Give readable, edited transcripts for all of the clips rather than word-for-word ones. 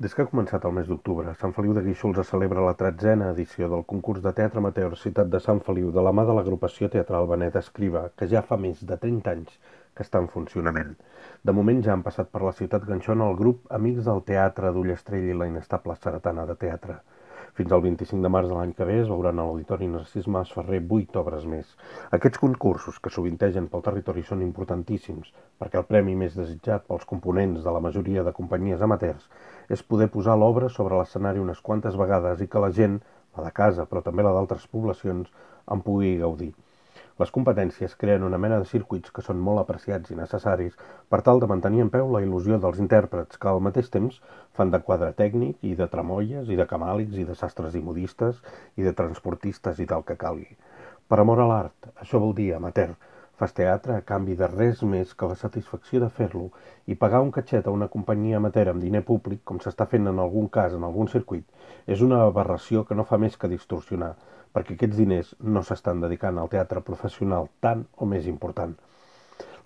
Des que ha començat el mes d'octubre, a Sant Feliu de Guíxols es celebra la 13a edició del concurs de teatre amateur Ciutat de Sant Feliu de la mà de l'agrupació teatral Benet Escriba, que ja fa més de 30 anys que està en funcionament. De moment ja han passat per la ciutat ganxona el grup Amics del Teatre d'Ullastrell i la Inestable Saretana de Teatre. Fins al 25 de març de l'any que ve es veuran a l'Auditori Narcís Mas Ferrer 8 obres més. Aquests concursos, que sovintegen pel territori, són importantíssims, perquè el premi més desitjat pels components de la majoria de companyies amateurs és poder posar l'obra sobre l'escenari unes quantes vegades i que la gent, la de casa però també la d'altres poblacions, en pugui gaudir. Les competències creen una mena de circuits que són molt apreciats i necessaris per tal de mantenir en peu la il·lusió dels intèrprets que al mateix temps fan de quadre tècnic i de tramolles i de camàlics i de sastres i modistes i de transportistes i del que calgui. Per amor a l'art, això vol dir amateur. Fas teatre a canvi de res més que la satisfacció de fer-lo i pagar un catxet a una companyia amateur amb diner públic, com s'està fent en algun cas en algun circuit, és una aberració que no fa més que distorsionar, perquè aquests diners no s'estan dedicant al teatre professional tant o més important.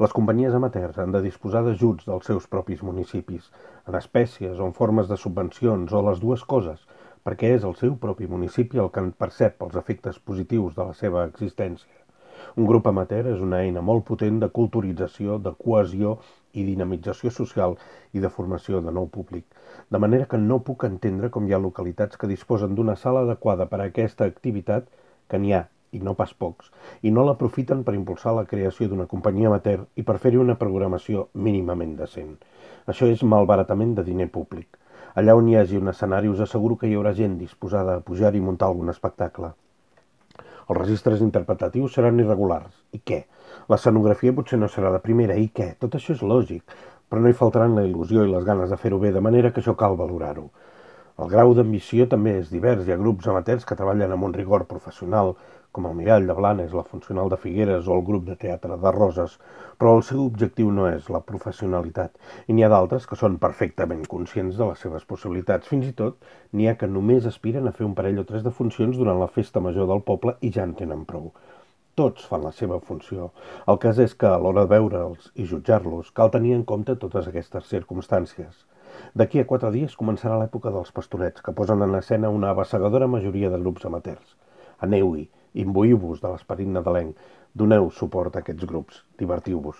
Les companyies amateurs han de disposar d'ajuts dels seus propis municipis, en espècies o en formes de subvencions o les dues coses, perquè és el seu propi municipi el que en percep els efectes positius de la seva existència. Un grup amateur és una eina molt potent de culturització, de cohesió i dinamització social i de formació de nou públic. De manera que no puc entendre com hi ha localitats que disposen d'una sala adequada per a aquesta activitat, que n'hi ha, i no pas pocs, i no l'aprofiten per impulsar la creació d'una companyia amateur i per fer-hi una programació mínimament decent. Això és malbaratament de diner públic. Allà on hi hagi un escenari us asseguro que hi haurà gent disposada a pujar-hi i muntar algun espectacle. Els registres interpretatius seran irregulars. I què? L'escenografia potser no serà de primera. I què? Tot això és lògic, però no hi faltaran la il·lusió i les ganes de fer-ho bé, de manera que això cal valorar-ho. El grau d'ambició també és divers. Hi ha grups amateurs que treballen amb un rigor professional, com el Mirall de Blanes, la Funcional de Figueres o el grup de teatre de Roses, però el seu objectiu no és la professionalitat, i n'hi ha d'altres que són perfectament conscients de les seves possibilitats. Fins i tot n'hi ha que només aspiren a fer un parell o tres de funcions durant la festa major del poble i ja en tenen prou. Tots fan la seva funció. El cas és que, a l'hora de veure'ls i jutjar-los, cal tenir en compte totes aquestes circumstàncies. D'aquí a 4 dies començarà l'època dels pastorets, que posen en escena una abassegadora majoria de grups amateurs. Aneu-hi, imbuïu-vos de l'esperit nadalenc, doneu suport a aquests grups, divertiu-vos.